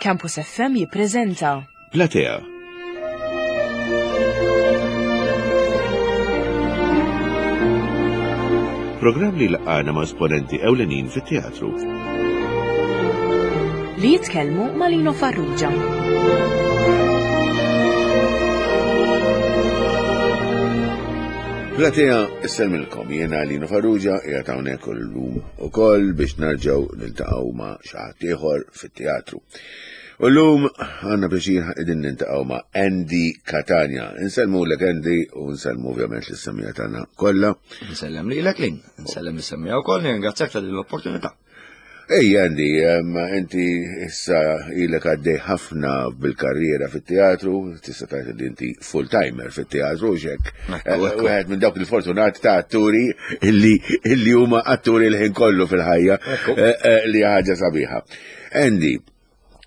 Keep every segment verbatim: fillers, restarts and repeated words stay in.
Campus F M jippreżenta Platea. Programm li laqana ma' esponenti ewlenin fit-teatru. Li jitkellmu ma' Lino Farrugia. Platea, issellmilkom, jiena Lino Farrugia, qiegħed hawnhekk illum ukoll biex nerġgħu niltaqgħu ma' xi ħadd ieħor fit-teatru. U llum għandna pjaċir qegħdin niltaqgħu ma' Andy Catania. Insellmulek, Andy, u nsellmu ovvjament lis-semmiegħa tagħna kollha. Nsellem lilek, Lin, nsellem lis-semmiegħa wkoll, nirringrazzjak ta' din l-opportunità. Ej Andy, inti issa ilek għaddej ħafna bil-karriera fit-teatru, tista' tgħid li inti full-timer fit-teatru, xek. Wieħed minn dawk il-fortunati ta' atturi illi illi huma atturi l-ħin kollu fil-ħajja, eh, eh, li ħaġa sabiħa. Andy,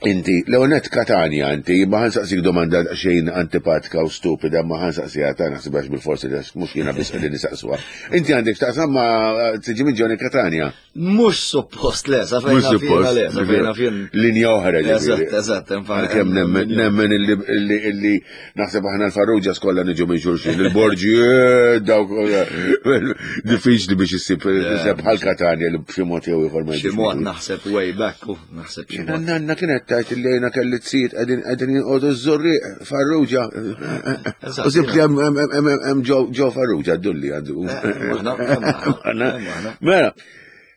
inti, Leonet Catania, inti, ma ħa nsaqsik domanda xejn antipatika u stupida, ma ħa nsaqsiha ta' naħsibhax bil-forsi li mhux jiena biss qegħdin nisaqsuha. Inti għandek x'taqsam ma' tiġi minn Johnny Catania? Mhux suppost le, sa fejn Mhux suppost. Le, sa fejn fien. Linja oħra, ġifieri. Eżatt, eżatt, infatti. Għalkemm nemmen, nemmen illi, illi, illi naħseb aħna l-Farrugia kollha niġu minn xulxin, il-Borgi, eh, dawk, eh, diffiċli biex issib issib bħal Catania li b'xi mod jew ieħor ma Xi jiġux mod minn naħseb way back, u naħseb xi mod. Nanna kienet tajt li jena kelli t-sit qegħdin qegħdin jinqodu ż-Żurrieq Farrugia. Eżatt, U sibt li hemm hemm hemm hemm ġo ġo Farrugia dulli għandu. Eh, aħna, aħna, aħna. Mela,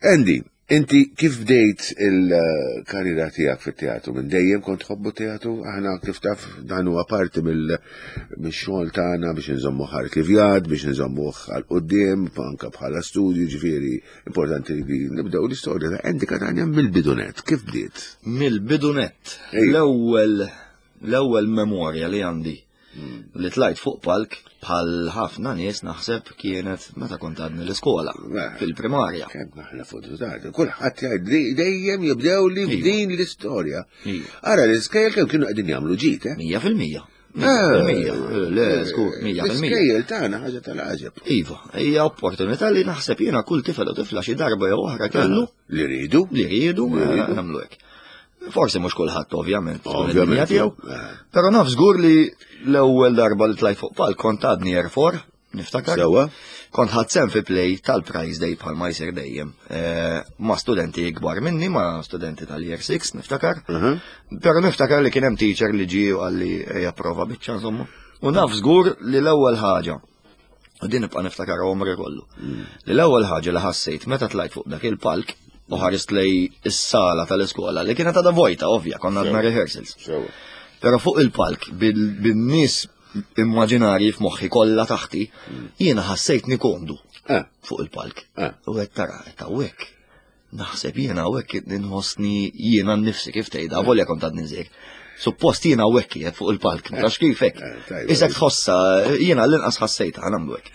Andy, inti kif bdejt il-karriera tiegħek fit-teatru? Minn dejjem kont tħobbu teatru? Aħna kif taf dan huwa parti mill-xogħol tagħna biex nżommuh arkivjat, biex nżommuh għal quddiem, anke bħala studju, ġifieri importanti li nibdew l-istorja ta' Andy Catania mill-bidunet. Kif bdiet? Mill-bidunet. Ejja. L-ewwel l-ewwel memorja li għandi li tlajt fuq palk bħal ħafna nies naħseb kienet meta kont għadni l-iskola Eh. fil-primarja. Kemm aħna fortunati, kulħadd jgħid li dejjem jibdew li Iva. f'din l-istorja. Iva. Ara l-iskejjel kemm kienu qegħdin jagħmlu ġid, eh? Mija fil-mija. Mija fil-mija. Le, żgur, mija fil-mija. L-iskejjel tagħna ħaġa tal-għaġeb. Iva, hija opportunità li naħseb jiena kull tifel u tifla xi darba jew oħra kellu Li rridu. li riedu Li rridu. nagħmlu hekk. Forsi mhux kulħadd ovvjament, tkun Ovvjament, id-dinja tiegħu. eh. Però naf żgur li l-ewwel darba li tlajt fuq palk kont għadni year four, niftakar. Sewwa. Kont ħadt sehem fi play tal-Prize Day bħal ma jsir dejjem. Eh, ma' studenti ikbar minni, ma' studenti tal-year six, niftakar. Mhm. Però niftakar li kien hemm teacher li ġie u qalli ejja prova biċċa insomma. U naf żgur li l-ewwel ħaġa, u din nibqa' niftakar għomri kollu, li l-ewwel ħaġa li ħassejt meta tlajt fuq dak il-palk u ħarist lej is-sala tal-iskola li kienet għadha vojta ovvja, konna għadna rehearsals. Sewwa. Però fuq il-palk bil- bin-nies immaġinarji f'moħħi kollha taħti, jiena ħassejtni komdu Eh, fuq il-palk. Eh. U qed tara, qed hawnhekk. Naħseb jiena hawnhekk inħossni jiena nnifsi kif tgħidha, volja kont għadni żgħir. Suppost jiena hawnhekk qiegħed fuq il-palk, ma tafx kif hekk. Eh, tajba. Isek tħossa, jiena l-inqas ħassejtha ħa nagħmlu hekk.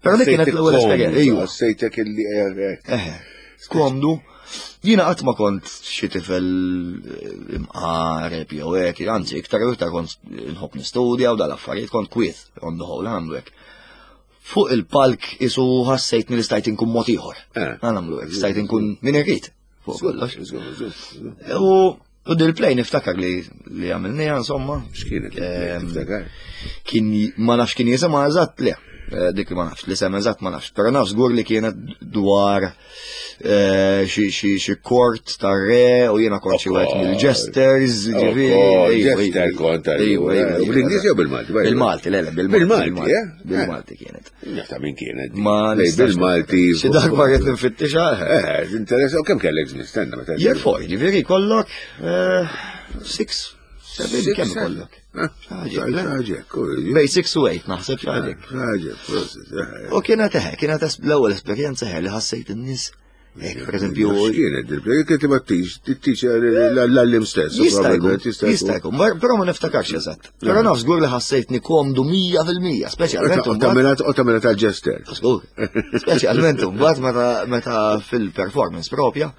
Però dik kienet l-ewwel esperjenza. Ejwa. Ħassejtek illi eh, eh. Eħe, komdu. Jiena qatt ma kont xi tifel eh, imqareb jew hekk, anzi iktar u iktar kont nħobb nistudja u dal-affarijiet kont kwiet on the whole nagħmlu hekk. Fuq il-palk isu ħassejtni li stajt inkun mod ieħor. Eh. Nagħmlu hekk, stajt inkun min irrid fuq kollox. Żgur, żgur, żgur. U u dil-play niftakar li li għamilniha insomma. X'kienet? Ehm, Tiftakar? Kien ma nafx kien jisimha eżatt le. Eh, Dik ma nafx, li sem eżatt ma nafx. Però naf żgur li kienet dwar eh, xi xi xi kort tar re u jiena kont xi wieħed mill-jesters, ġifieri. Oh, ejwa, jester ejwa. kont Ejwa, ejwa, ejwa, Bl-Ingliż jew bil-Malti? Bil-Malti, le, le, bil-Malti. Bil-Malti, eh? Bil-Malti kienet. Ta' min kienet? Ma Lej, nistax bil-Malti. Xi darba rrid nfittixha. Eh, interess, u kemm kellek żmien, stenna meta. Year four, ġifieri kollok eh, six, seven, Six, kemm seven. kollok? Ħaġa, ħaġa, Bej six u eight naħseb xi ħaġa. ħaġa, prosit. eh. U kienet eħe, kienet es- l-ewwel esperjenza eħe li ħassejt in-nies. Hekk, per eżempju, X'kienet il-play? Kien tibgħat teacher l-għallim stess. jista' jkun, probabbilment, jista' jkun, mar- però ma niftakarx eżatt. Però naf żgur li ħassejtni komdu mija fil-mija, speċjalment U imbagħad. tagħmilha u tagħmilha tal-jester. Żgur. Speċjalment imbagħad meta meta fil-performance propja,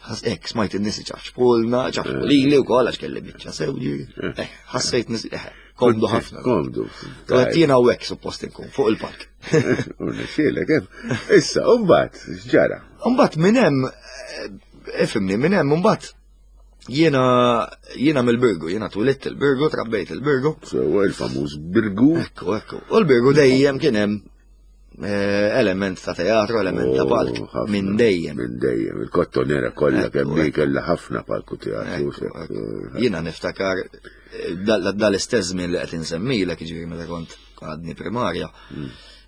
ħas hekk smajt in-nies iċafxpulna, ċafxpulili wkoll għax kelli biċċa sew ġifieri. Eh, ħassejt nies eh, komdu ħafna. Komdu. U għedt jiena hawnhekk suppost inkun fuq il-palk. Xielek, hemm. Issa, u mbagħad x'ġara? Mbagħad minn hemm eh, ifhimni, minn hemm mbagħad Jiena jiena mill-Birgu, jiena twelidt il-Birgu, trabbejt il-Birgu. Sewwa, il-famuż Birgu. Ekku, ekku. U l-Birgu dejjem kien hemm eh, element ta' teatru, element ta' Oh, palk. ħafna. Minn dejjem. Minn dejjem. Il-Kottonera kollha Ekku, kemm hi ekku. kellha ħafna palku teatru. Ekku, ekku. Jiena niftakar eh, dal- dal-istess żmien li qed insemmilek, jiġifieri meta kont għadni primarja.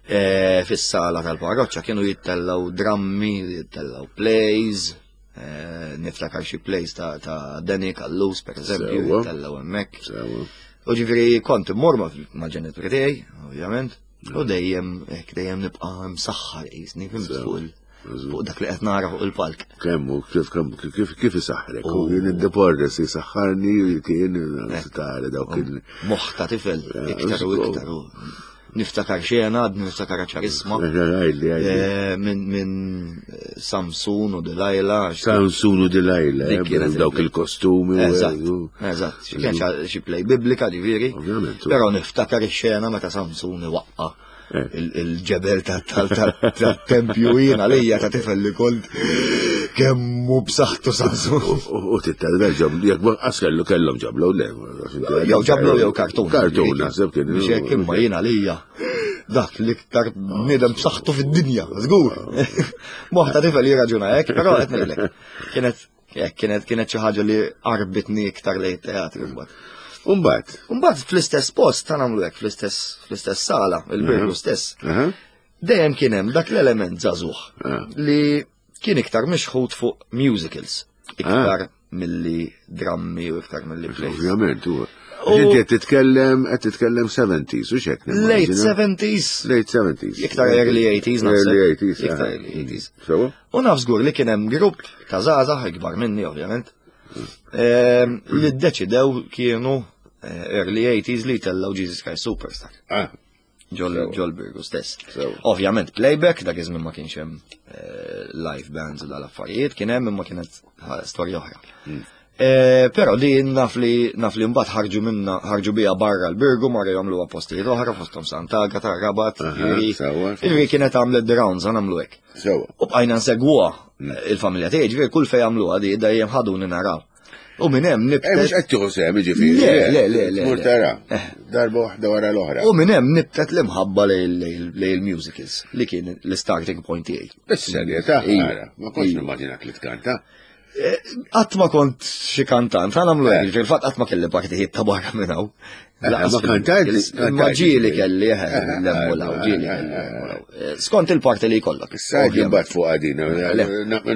eh, Fis-sala tal-parroċċa kienu jittellgħu drammi, jittellgħu plays, eh, niftakar xi plays ta' ta' Danny Callus per eżempju, Sewwa. jittellgħu hemmhekk. Sewwa. U ġifieri kont immur ma' mal-ġenituri tiegħi, ovvjament, u dejjem hekk dejjem nibqa' msaħħar qisni fhimt Sewwa. fuq il- fuq dak li qed nara fuq il-palk. Kemm hu kif kemm kif kif isaħħrek? Oh. U jien id-deportes jisaħħarni kien tara dawk il Moħħ ta' tifel, iktar u żgur. iktar. u Niftakar xena, għadni niftakar ċarisma. Għajli, għajli. Eh, Minn min Samson u Delilah. għax- Samson u Delilah, Dik eh, kienet dawk il- il-kostumi. u- Eżatt, u- eżatt. Xi kien xi- xi play biblika ġifieri. Ovvjament. Però niftakar ix-xena meta Samson iwaqqa Eh. il- il-ġebel tat-tempju jiena lejja ta' tifel li kont kemmu b'saħħtu Samson. U tittalber ġablu, jekk ma qas kellu kellhom ġablu, le. Jew ġablu jew kartun. Kartun, naħseb kien. Biex hekk imma jiena lija. Dak l-iktar bniedem b'saħħtu fid-dinja, żgur. Moħħ ta' tifel jirraġuna hekk, però qed ngħidlek. Kienet hekk kienet kienet xi ħaġa li qarbitni iktar lejn teatru mbagħad. Umbagħad. Mbagħad fl-istess post ta' nagħmlu hekk fl-istess fl-istess sala, il-Birgu stess. Aha. Dejjem kien hemm dak l-element żagħżugħ Ah. li kien iktar mixħut fuq musicals, iktar milli drammi u iktar milli plays. Ovvjament, u. U- Inti qed titkellem, qed titkellem seventies, u xek. Late seventies, Late seventies. iktar early eighties naħseb. Early eighties. Iktar aha. early eighties. Sewwa? U naf żgur li kien hemm grupp ta' żgħażagħ ikbar minni ovvjament, ehm, li ddeċidew kienu eh, early eighties li tellgħu Jesus Christ Superstar. Ah, Ġol Sewwa. ġol Birgu stess. Sewwa. Ovvjament playback, dak iż-żmien ma kienx hemm eh, live bands u dal-affarijiet, kien hemm imma kienet eh, storja oħra. Hmm. Eh, Però li naf li naf li mbagħad ħarġu minna ħarġu biha barra l-Birgu marru jagħmluha postijiet oħra fosthom Sant'Agata, Rabat, Aha, jiġifieri- sewwa, sewwa. jiġifieri kienet għamlet the rounds, nagħmlu hekk. Sewwa. U bqajna nsegwuha il-familja tiegħi, ġifieri kull fejn jagħmluha di dejjem ħaduni naraw. U minn hemm Eh, mhux nibtet qed tieħu sehem, jiġifieri. Le, le, le, le, Tmur le. tara. Eh. Darba waħda wara l-oħra. U minn hemm nibtet l-imħabba lejn il-musicals li kien l-starting point tiegħi. Bis-serjetà, Iva. ara, ma kontx Iva. nimmaġinak li tkanta. Qatt ma kont xi kantant, ħa nagħmlu Eh. hekk, fil-fatt qatt ma kelli partijiet ta' barra minn hawn. Eh, Lanqas ma kantajt, fil-musicals, kantajt. Ma ġieli kelli, eh, Eh, lemmu law, ġieli eh, kelli eh, lemmu law. Eh, Skont il-parti li jkollok. Issa ovvjament. mbagħad fuq għadina, Le.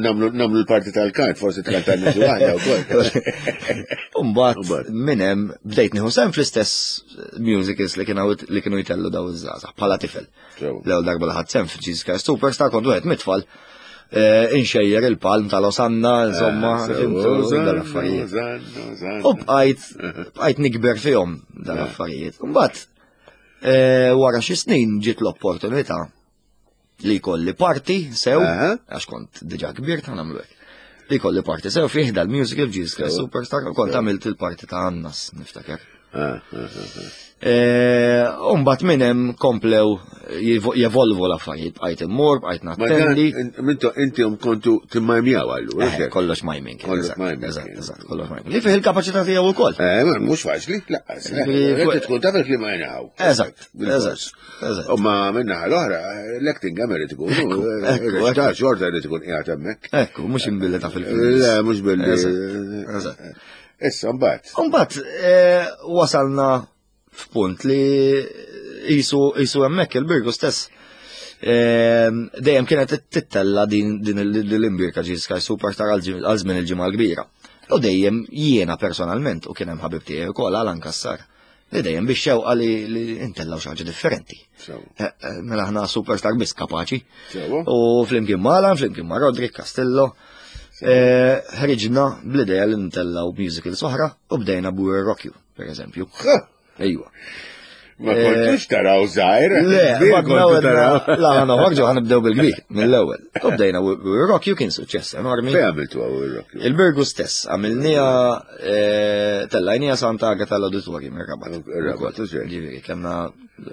nagħmlu nagħmlu l-parti tal-kant, forsi tkantanna xi waħda wkoll. Umbagħad Umbagħad. minn hemm bdejt nieħu sehem fl-istess musicals li kienu li kienu jtellu daw iż-żgħażagħ bħala tifel. Sewwa. L-ewwel darba li ħadt sehem f'Jesus Christ Superstar kont wieħed mit-tfal eh, inxejjer il-palm tal-Osanna, insomma, fhimtu, dal-affarijiet. U bqajt bqajt nikber fihom dal-affarijiet. Mbagħad eh, wara xi snin ġiet l-opportunità li jkolli parti sew, Aha. għax kont diġà kbir ta' nagħmlu hekk. Li jkolli parti sew fih dal-musical Jesus Christ Sew. Superstar, u kont għamilt il-parti ta' Annas, niftakar. Ah, ah, ah, Eh, U mbagħad minn hemm komplew jevo- jevolvu l-affarijiet, bqajt immur, bqajt Ma dan, nattendi. minto inti kontu timmajmjaw allura. Eh, Kollox miming. Kollox eżatt, miming. Eżatt, eżatt, kollox miming. Li fih il-kapaċità tiegħu wkoll. Eh, ma mhux faċli, laqqas. eh, Ġifieri, Inti tkun taf il-klima jnaw. Eżatt, eżatt, eżatt. U ma minna l-oħra, l-acting għam irid ikun. ekku, ekku. Ta' xorta irid ikun qiegħed hemmhekk. Ekku, mhux imbilli ta' fil-film. Le, mhux billi. Eżatt, eżatt. Issa mbagħad. Umbagħad eh, wasalna f'punt li jisu jisu hemmhekk il-Birgu stess. eh, Dejjem kienet tittella din din l-imbirka Jesus Christ Superstar għal żmien il-ġimgħa l-kbira. U dejjem jiena personalment u kien hemm ħabib tiegħi wkoll Alan Kassar. Li dejjem biex xewqa li li intellaw xi ħaġa differenti. Sewa. Eh, eh, Mela aħna superstar biss kapaċi. Sewa. U flimkien ma' Alan, flimkien ma' Roderick Castillo, eh, ħriġna bl-idea li ntellaw musicals oħra u bdejna b'We Rock You, per eżempju. Ejwa. Ma kontux taraw żgħir. Le, kbir ma kontu taraw. La, ħana ħorġu ħanibdew bil-kbir, mill-ewwel. U bdejna We Rock You kien suċċess enormi. Fejn għamiltu għaw il-rock? Il-Birgu stess, għamilnija, eh, tellajnija Santa Agata l-Auditorium, ir-Rabat. Ir-Rabat, u xejn. Ġifieri, kellna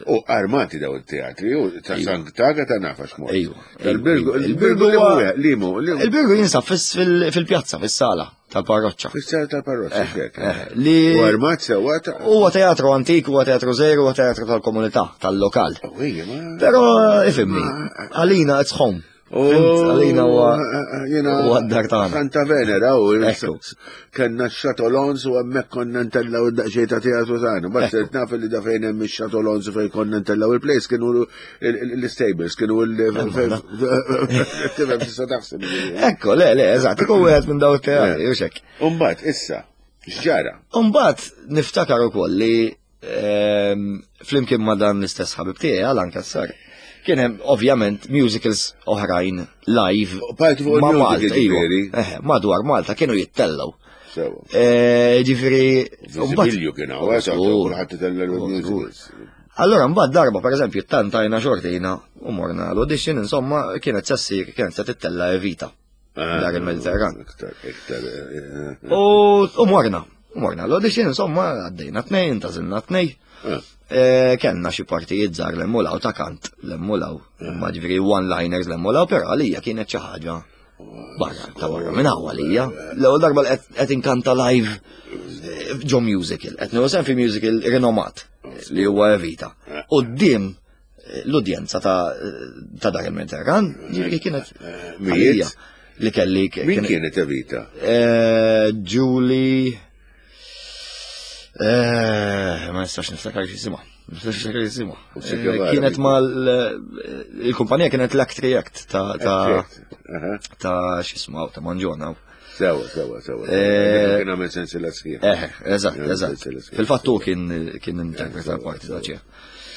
U armati daw il-teatri, u ta' Sant'Agata ta' nafax mod. Ejwa. Il-Birgu, Ejwa. il-Birgu huwa- li mu, li mu. Il-Birgu jinsab fis- fil- fil-pjazza, fis-sala tal-parroċċa. Fis-sala tal-parroċċa, xek. Eh, li U armat sewwa ta' huwa teatru antik, huwa teatru żgħir, huwa teatru tal-komunità, tal-lokal. Oh, ejja, ma. Però ifhimni, għalina it's home. Fhimt? Għalina huwa Jena huwa d-dar tagħna. Santa Venera u Ekku. kellna x-Xatolons u hemmhekk konna ntellaw id-daqsxejn ta' teatru tagħna. Bas Ekku. naf li da fejn hemm ix-Xatolons u fejn konna ntellaw il-place kienu l-stables, kienu l Tifhem tista' taħseb. Ekku, le, le, eżatt, ikun wieħed minn daw it-teatri, u xek. Umbagħad issa, x'ġara? Umbagħad niftakar ukoll li ehm, flimkien ma' dan l-istess ħabib tiegħi Alan Cassar, kien hemm ovvjament musicals oħrajn live Parti fuq ma' il-musical Malta, iva. ġifieri. Eh, madwar Malta kienu jittellgħu. Sewa. Eh, Ġifieri, mbagħad- Visibilju kien hawn, eżatt, Żgur. kulħadd itella' l-musicals. Allora mbagħad darba pereżempju tantajna xortina u morna l-audition insomma kienet se ssir kienet se tittella Evita. Dar il-Mediterran. Iktar, iktar. eh, eh, U u morna, u morna l-audition insomma għaddejna tnejn, tażilna tnejn. eh. Eh, Kellna xi partijiet żgħar l-emmulaw ta' kant l-emmulaw, ma ġifieri one-liners l-emmulaw, però għalija kienet xi ħaġa barra ta' barra minn hawn għalija. L-ewwel darba li qed qed inkanta live eh, ġo musical, qed nieħu sehem fi musical rinomat li huwa Evita. Quddiem eh, l-udjenza ta' ta' dar il-Mediterran, ġifieri kienet Mijiet? għalija li kelli Min kienet Evita? Eh, Julie. Eh, ma nistax niftakar x'jisimha. Ma nistax niftakar x'jisimha. U Che Guevara Eh, Kienet min? mal il-kumpanija kienet l-Act React ta' ta' Aha. ta' x'isma ta' Manġona. Sewa, sewa, sewa. Eh, Kien għamel sensiela sħiħa. Eh, eżatt, Kien għamel eżatt. sensiela sħiħa. Fil-fatt hu kien kien interpreta l-parti ta' ċe.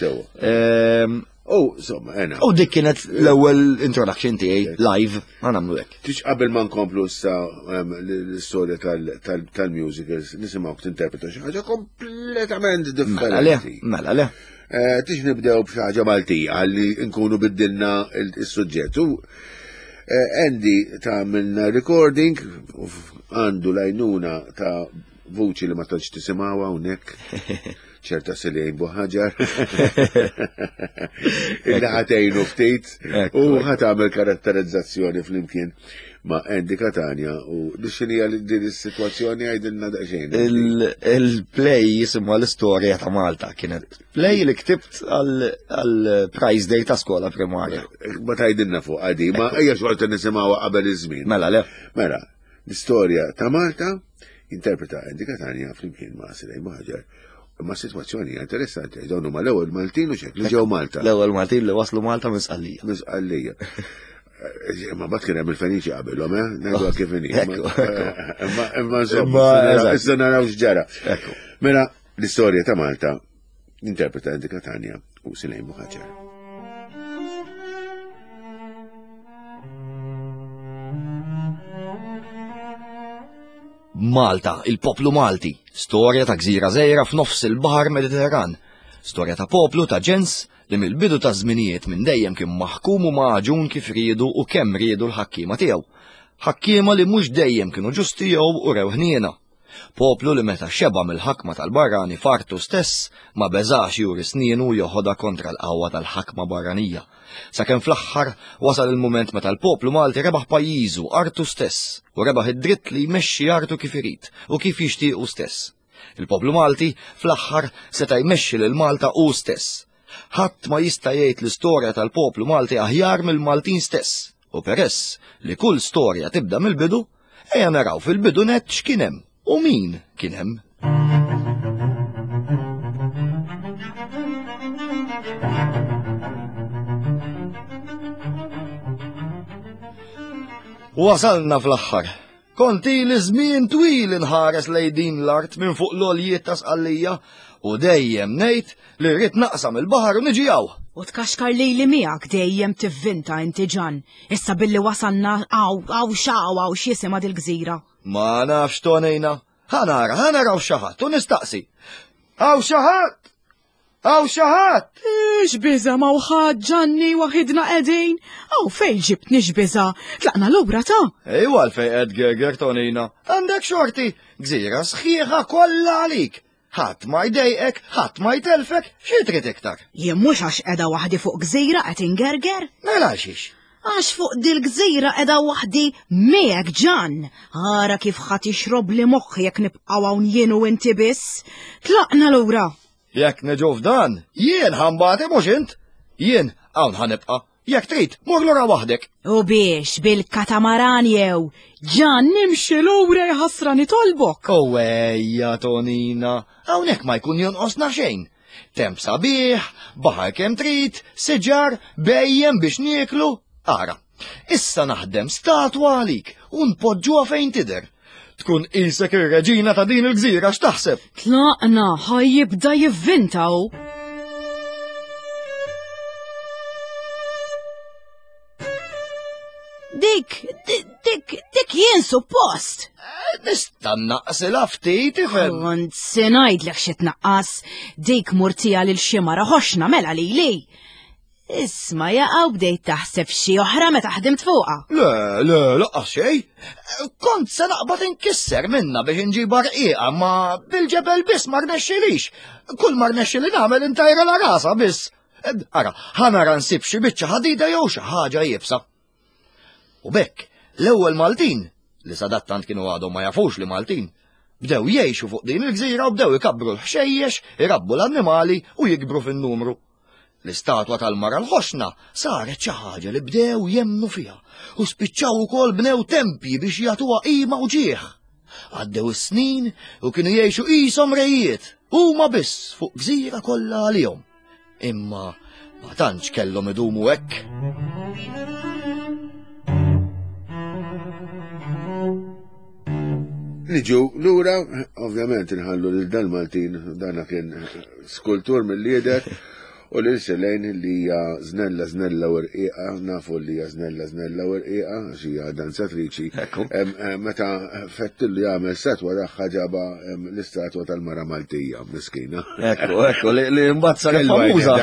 Sewa. Ehm, U, insomma, ena. U dik kienet l-ewwel introduction tiegħi live, ma nagħmlu hekk. Tix qabel ma nkomplu issa em, l-istorja tal- tal- tal-musicals, nisimgħu tinterpreta xi ħaġa kompletament Mela le, differenti. mela le. Eh, Tix nibdew b'xi ħaġa Maltija ħalli nkunu biddilna il- is-suġġett. U eh, Andy tagħmilna recording u f- għandu lajnuna ta' vuċi li ma tantx tisimgħuha hawnhekk. ċerta Silejn Buħaġar. Illi ħatejnu ftit Ekku, u ekku. ħatamel karatterizzazzjoni flimkien ma' Andy Catania u x'inhija li din is-sitwazzjoni għidilna daqsxejn. Il- Il-play jisimha l-istorja ta' Malta kienet play li ktibt għal prize day ta' skola primarja. Ma tgħidilna fuq għadi, ma ejja xorta nisimgħuha qabel iż-żmien. Mela le. Mela, l-istorja ta' Malta interpreta Andy Catania flimkien ma' Silej Buħaġar. Ma' sitwazzjoni hija interessanti, dawn huma l-ewwel Maltin u xek li ġew Malta. L-ewwel Maltin li waslu Malta minn Sqallija. Misqallija. Ma bat kien hemm il-Feniċi qabelhom, eh? Ngħidu kif inhi. Ekku, ekku. Imma imma insomma, Imma, eżatt. issa naraw x'ġara. Ekku. Mela, l-istorja ta' Malta interpreta Andy Catania u Silejn Buħaġar. Malta, il-poplu Malti, storja ta' gżira żgħira f'nofs il-Baħar Mediterran, storja ta' poplu ta' ġens li mill-bidu ta' żminijiet minn dejjem kien maħkum u maġun kif riedu u kemm riedu l-ħakkiema tiegħu. Ħakkiema li mhux dejjem kienu ġusti jew u rew ħniena. Poplu li meta xeba mill-ħakma tal-barrani fartu stess ma beżax juri snienu joħodha kontra l-qawwa tal-ħakma barranija. Sakemm fl-aħħar wasal il-mument meta l-poplu Malti rebaħ pajjiżu artu stess u rebaħ id-dritt li jmexxi artu kif irid u kif jixtiequ stess. Il-poplu Malti fl-aħħar seta' jmexxi lil Malta hu stess. Ħadd ma jista' jgħid l-istorja tal-poplu Malti aħjar mill-Maltin stess. U peress li kull storja tibda mill-bidu, ejja naraw fil-bidu net x'kien hemm u min kien hemm. Wasalna fl-aħħar. Konti li żmien twil inħares lejn din l-art minn fuq l-oljiet ta' Sqallija u dejjem ngħid li rrid naqsam il-baħar u niġi hawn. U tkaxkar lejli miegħek dejjem tivvinta inti ġan. Issa billi wasalna għaw għaw xaw għaw x'jisimha dil-gżira. Ma nafx tonejna. Ħanara, ħanaraw xi ħadd u nistaqsi. Hawn xi ħadd! Hawn xi ħadd! X'biża ma wħad ġanni waħidna qegħdin. Aw fejn ġibtni x'biża? Tlaqna lura ta' Ejwa għalfejn qed gerger tonina. Għandek xorti, gżira sħiħa kollha għalik. Ħadd ma jdejqek, ħadd ma jtelfek, xi trid iktar. Jien mhux għax qiegħda waħdi fuq gżira qed ingerger. Mela xiex. Għax fuq dil-gżira edha waħdi miegħek Ġan. Ara kif ħa tixrobli moħħi jekk nibqgħu hawn jien u inti biss. Tlaqna lura. Jekk niġu f'dan, jien ħa nbati mhux int. Jien hawn ħa nibqa'. Jekk trid, mur lura waħdek. U biex bil-katamaran jew. Ġan nimxi lura jħassra nitolbok. U ejja, Tonina, hawnhekk ma jkun jonqosna xejn. Temp sabiħ, baħar kemm trid, siġar, bhejjem biex nieklu. Ara, issa naħdem statwa għalik u npoġġuha fejn tidher. Tkun qisek ir-reġina ta' din il-gżira x'taħseb? Tlaqna, ħa jibda jivvinta hu. Dik, dik, dik jien suppost. Nista' naqsilha ftit ifhem. Kont se ngħidlek xi tnaqqas, dik murtija lil xi mara ħoxna mela lili. Isma' jaqgħu bdejt taħseb xi oħra meta ħdimt fuqha. Le, le, laqqas xejn. Kont se naqbad inkisser minna biex inġibha rqiqa, ma bil-ġebel biss ma rnexxilix. Kull ma rnexxili nagħmel intajra la rasa biss. Ara, ħa nara nsib xi biċċa ħadida jew xi ħaġa iebsa. U bekk, l-ewwel Maltin, li sadattant kienu għadhom ma jafux li Maltin, bdew jgħixu fuq din il-gżira u bdew ikabbru l-ħxejjex, irabbu l-annimali u jikbru fin-numru. L-istatwa tal-mara l-ħoxna saret xi ħaġa li bdew jemnu fiha u spiċċaw ukoll bnew tempji biex jagħtuha qima u ġieħ. Għaddew is-snin u kienu jgħixu qishom rejiet, huma biss fuq gżira kollha għalihom. Imma ma tantx kellhom idumu hekk. Niġu lura, ovvjament inħallu lil dan Maltin, dana kien skultur mill-lider, u lil Selene li hija żnella żnella u rqiqa, nafu li hija żnella żnella u rqiqa, għax hija danzatriċi. Meta fettillu jagħmel statwa tagħha ġaba l-istatwa tal-mara Maltija, miskina. Ekku, ekku, li mbagħad saret famuża.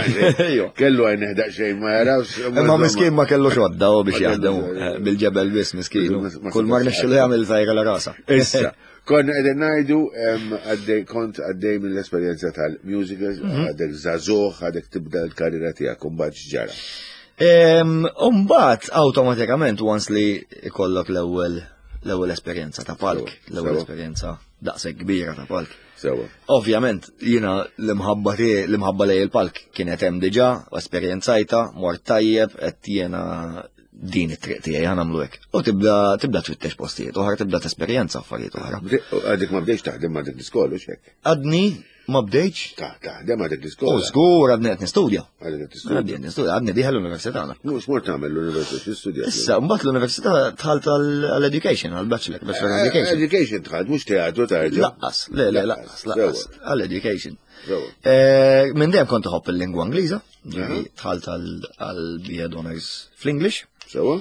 Kellu għajn daqsxejn ma jarawx. Imma miskin ma kellu xodda u biex jaħdem bil-ġebel biss miskin. Kull ma rnexxielu jagħmel tajra la rasa. Issa. Konna qegħdin ngħidu għaddej kont għaddej mill-esperjenza tal-musicals, għadek żagħżugħ, għadek tibda l-karriera tiegħek u mbagħad x'ġara. U mbagħad awtomatikament once li ikollok l-ewwel l-ewwel esperjenza ta' palk, l-ewwel esperjenza daqshekk kbira ta' palk. Sewa. Ovvjament jiena l-imħabba tiegħi, l-imħabba lejn il-palk kienet hemm diġà, esperjenzajta, mort tajjeb, qed jiena din it-triq tiegħi ħa nagħmlu hekk. U tibda tibda tfittex postijiet oħra, tibda tesperjenza affarijiet oħra. Għadek ma bdejx taħdem ma' dik l-iskola x'hekk? Għadni ma bdejx. Taħdem ma' dik l-iskola. U żgur għadni qed nistudja. Għadek qed tistudja. Għadni qed nistudja, għadni dieħel l-università. Mhux mort tagħmel l-università, x'istudja? Issa mbagħad l-università dħalt għall-education, għall-bachelor, bachelor education. Education dħalt, mhux teatru tarġa'. Laqqas, le le laqqas, laqqas, għall-education. Minn dejjem kont iħobb il-lingwa Ingliża, dħalt għall-B A Honors fl-English. Sewa.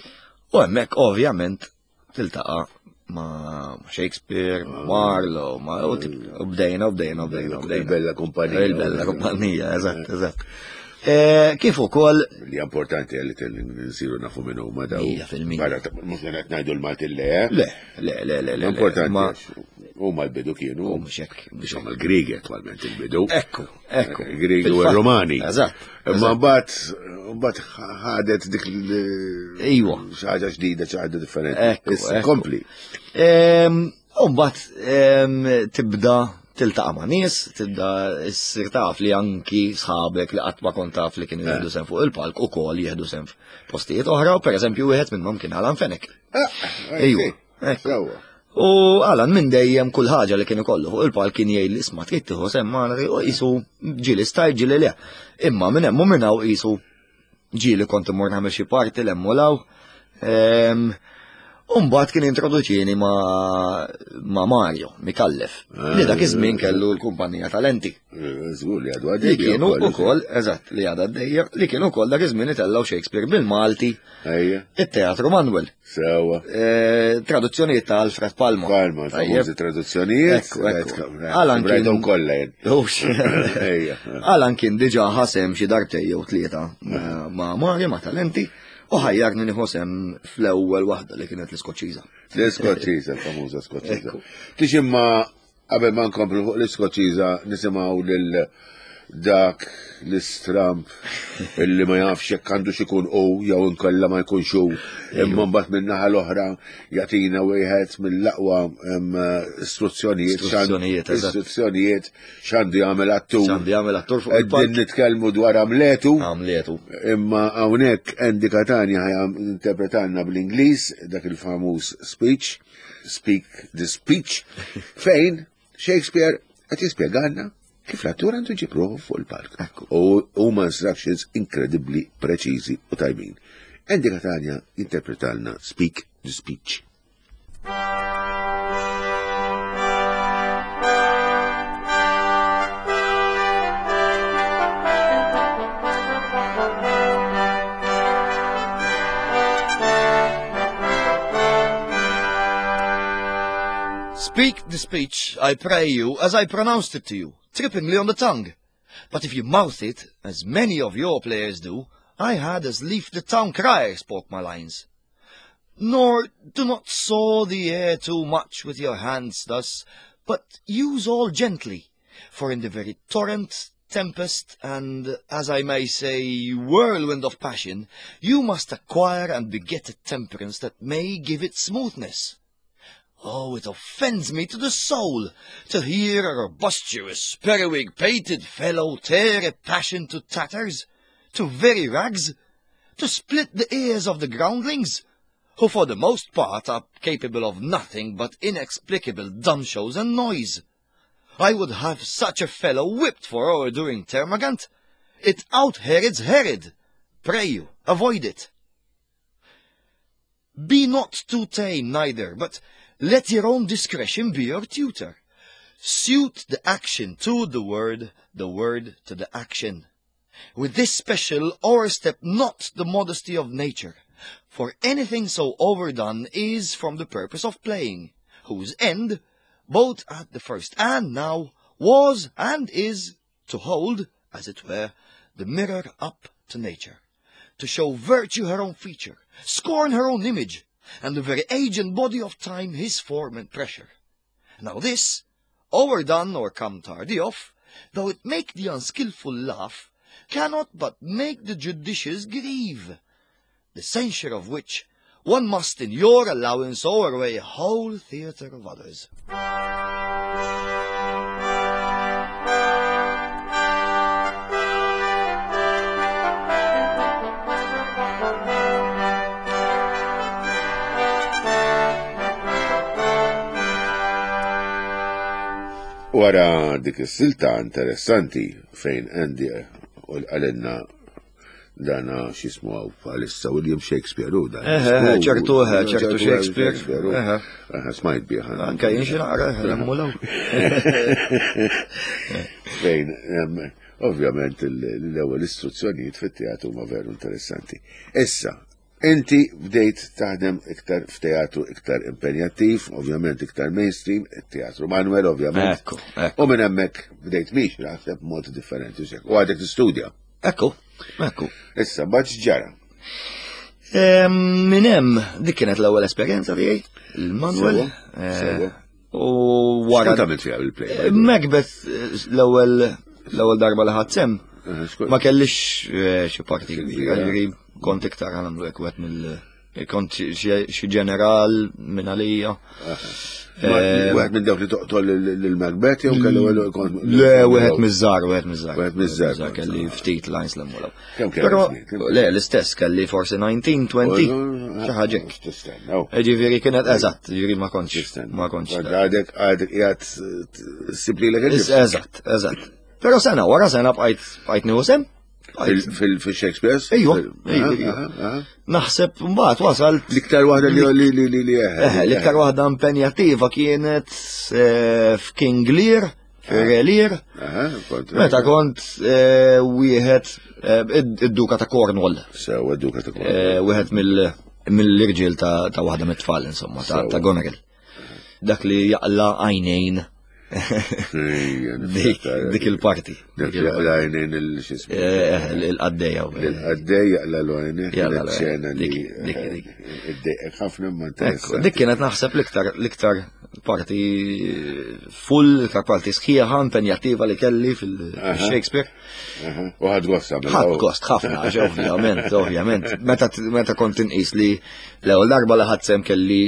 U hemmhekk ovvjament tiltaqa' ma' Shakespeare, ma' Marlowe, ma' u bdejna, u bdejna, u bdejna, u bdejna. Il-bella kumpanija. Il-bella kumpanija, eżatt, eżatt. Kif ukoll. Li importanti li nsiru nafu minn huma daw. Mija fil-mija. Mhux qed ngħidu l-Malti le. Le, le, le, le. Importanti. Huma l-bidu kienu. U mhux hekk. Biex huma l-Griegi attwalment il-bidu. Ekku, ekku. Griegi u r-Romani. Eżatt. Imma mbagħad mbagħad ħadet dik Iwa. Xi ħaġa ġdida, xi ħaġa differenti. Ekku, kompli. U mbagħad tibda tiltaqa' ma' nies, tibda ssir taf li anki sħabek li qatt ma kont taf li kienu jieħdu sehem fuq il-palk ukoll jieħdu sehem f'postijiet oħra, u pereżempju wieħed minnhom kien Alan Fenech. Ejwa. U Alan minn dejjem kull ħaġa li kien ikollu fuq il-palk kien jgħid li isma' trid tieħu sehem magħna, u qisu ġieli stajt ġieli le. Imma minn hemm u minn hawn qisu ġieli kont immur nagħmel xi parti l hemm u l hawn. U mbagħad kien introduċini ma' Mario Mikallef, li dak iż-żmien kellu l-kumpanija Talenti. Żgur li għadu għaddejja. Li kienu ukoll, eżatt, li għadha għaddejja, li kienu ukoll dak iż-żmien itellgħu Shakespeare bil-Malti. It-Teatru Manuel. Sewa. Traduzzjonijiet ta' Alfred Palma. Palma, famużi traduzzjonijiet. Ekku, ekku. Alan kien kollha jien. Alan kien diġà ħasem xi darbtejn jew tlieta ma' Mario ma' Talenti. U ħajjarni nieħu sehem fl-ewwel waħda li kienet l-Iskoċċiża. L-Iskoċċiża, l-famuża Skoċċiża. Tix imma qabel ma nkomplu fuq l-Iskoċċiża nisimgħu lil Dak l-istramp illi ma jafx jekk għandu xikun u jew inkella ma jkunx hu, imma mbagħad min-naħa l-oħra jagħtina wieħed mill-aqwa istruzzjonijiet istruzzjonijiet x'għandu jagħmel attur. X'għandu jagħmel attur fuq il-palk. Nitkellmu dwar Amletu. Amletu. Imma hawnhekk Andy Catania interpretanna bl-Ingliż dak il-famuż speech, Speak the Speech, fejn Shakespeare qed jispjegalna kif l-attur għandu jġib ruħu fuq il-palk. U huma instructions inkredibbli preċiżi u tajbin. Andy Catania interpretalna Speak the Speech. Speak the speech, I pray you, as I pronounced it to you, trippingly on the tongue. But if you mouth it, as many of your players do, I had as lief the town crier spoke my lines. Nor do not saw the air too much with your hands thus, but use all gently, for in the very torrent, tempest, and, as I may say, whirlwind of passion, you must acquire and beget a temperance that may give it smoothness. Oh, it offends me to the soul to hear a robustious, periwig-pated fellow tear a passion to tatters, to very rags, to split the ears of the groundlings, who for the most part are capable of nothing but inexplicable dumb shows and noise. I would have such a fellow whipped for o'erdoing termagant. It out-Herods Herod. Pray you, avoid it. Be not too tame neither, but let your own discretion be your tutor. Suit the action to the word, the word to the action. With this special o'erstep not the modesty of nature, for anything so overdone is from the purpose of playing, whose end, both at the first and now, was and is to hold, as it were, the mirror up to nature, to show virtue her own feature, scorn her own image, and the very age and body of time his form and pressure. Now this, overdone or come tardy off, though it make the unskilful laugh, cannot but make the judicious grieve, the censure of which one must in your allowance o'erweigh a whole theatre of others. Wara dik is-silta interessanti fejn Andy għalenna dana x'ismu hawn bħalissa William Shakespeare u dan. Ċertu, ċertu Shakespeare. Smajt bih. Anke jien xi naqra emmulaw. Fejn ovvjament l-ewwel istruzzjonijiet fit-teatru huma veru interessanti. Issa, inti bdejt taħdem iktar f'teatru iktar impenjattiv, ovvjament iktar mainstream, teatru Manuel ovvjament. Ekku, ekku. U minn hemmhekk bdejt miex naħseb b'mod differenti u għadek tistudja. Ekku, ekku. Issa, mbagħad x'ġara? Minn hemm dik kienet l-ewwel esperjenza tiegħi, il-Manuel. Sewwa. U wara. X'kont għamilt fiha bil-play? Macbeth l-ewwel l-ewwel darba li ħadd sehem. Ma kellix xi parti kbira, ġifieri kont iktar għamlu hekk wieħed mill kont xi ġeneral minn għalija. Wieħed minn dawk li toqtol lil Macbeth jew kellu kont. Le, wieħed miż-żgħar, wieħed miż-żgħar. Wieħed miż-żgħar. Kelli ftit lines l-emmulaw. Kemm kelli? Le, l-istess kelli forsi nineteen, twenty, xi ħaġa hekk. Tistenna. Ġifieri kienet eżatt, ġifieri ma kontx. Ma kontx. Għadek għadek qiegħed ssib lilek Eżatt, eżatt. Però sena wara sena bqajt bqajt nieħu sehem. Fil-Shakespeare? Ejwa, Naħseb mbagħad wasalt. L-iktar waħda li li li li Eh, l-iktar waħda impenjattiva kienet f'King Lear, fir-Re Lear. Meta kont wieħed id-Duka ta' Cornwall. Sewa d-Duka ta' Cornwall. Wieħed mill-irġiel ta' waħda mit-tfal insomma, ta' Goneril. Dak li jaqla' għajnejn. Dik il-parti. Dik jaqla għajnejn il-xismu. Il-qaddejja. Il-qaddej jaqla l-għajnejn. Kienet xena li id-dejqek ħafna ma interessanti. Dik kienet naħseb l-iktar l-iktar parti full, iktar parti sħiħa, impenjattiva li kelli fil-Shakespeare. U ħadt gost għamil. Ħadt gost ħafna, għax ovvjament, ovvjament. Meta meta kont inqis li l-ewwel darba li ħadt sehem kelli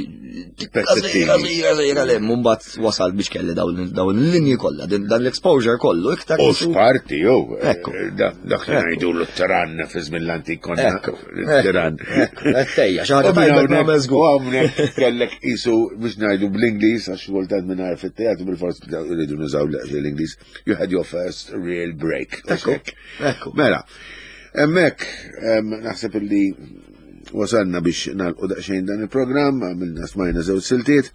Pezzettini. żgħira żgħira le, mbagħad wasal biex kelli dawn dawn il-linji kollha, din- dan l-exposure kollu iktar. U x'parti, jew. Ekku. Dak li Ekku. ngħidu l-tiran fi żmien l-antik konna. Ekku, Tiran. ekku, Tejja, xi ħaġa tajba nagħmel żgur. U hawnhekk kellek isu biex ngħidu bl-Ingliż għax kultant mingħajr fit-teatru bil-fors rridu nużaw l-Ingliż. You had your first real break. Ekku, ekku. Mela, hemmhekk em, naħseb illi wasalna biex nagħlqu daqsxejn dan il-programm, għamilna smajna żewġ siltiet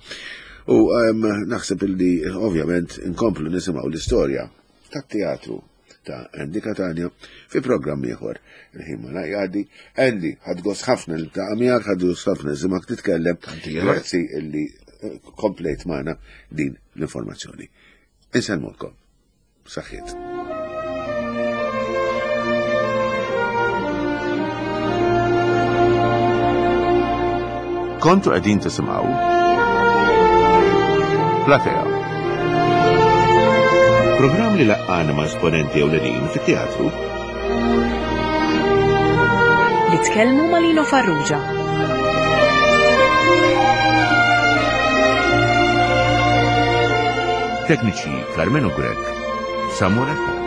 u em, naħseb illi ovvjament inkomplu nisimgħu l-istorja tat-teatru ta' Andy Catania fi programm ieħor. Il-ħin ma jgħaddi. Andy, ħadt gost ħafna li ta' miegħek, ħadt gost ħafna nisimgħek titkellem. Tanti ieħor. Grazzi illi eh, komplejt magħna din l-informazzjoni. Insellmulkom. Saħħiet. Kontu qegħdin tisimgħu Platea. Programm li laqqana ma' esponenti ewlenin fit-teatru Li tkellmu ma' Lino Farrugia. Tekniċi Carmelo Grech, Samuel Attard.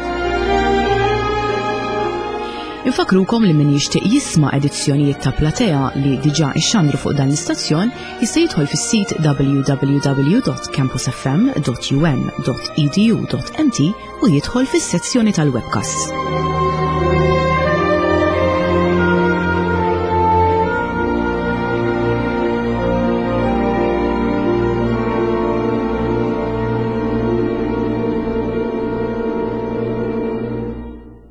Infakrukom li min jixtieq jisma' edizzjonijiet ta' Platea li diġà ixxandru fuq dan l-istazzjon jista' jidħol fis-sit w w w dot campusfm dot u m dot e d u dot m t u jidħol fis-sezzjoni tal-webcasts.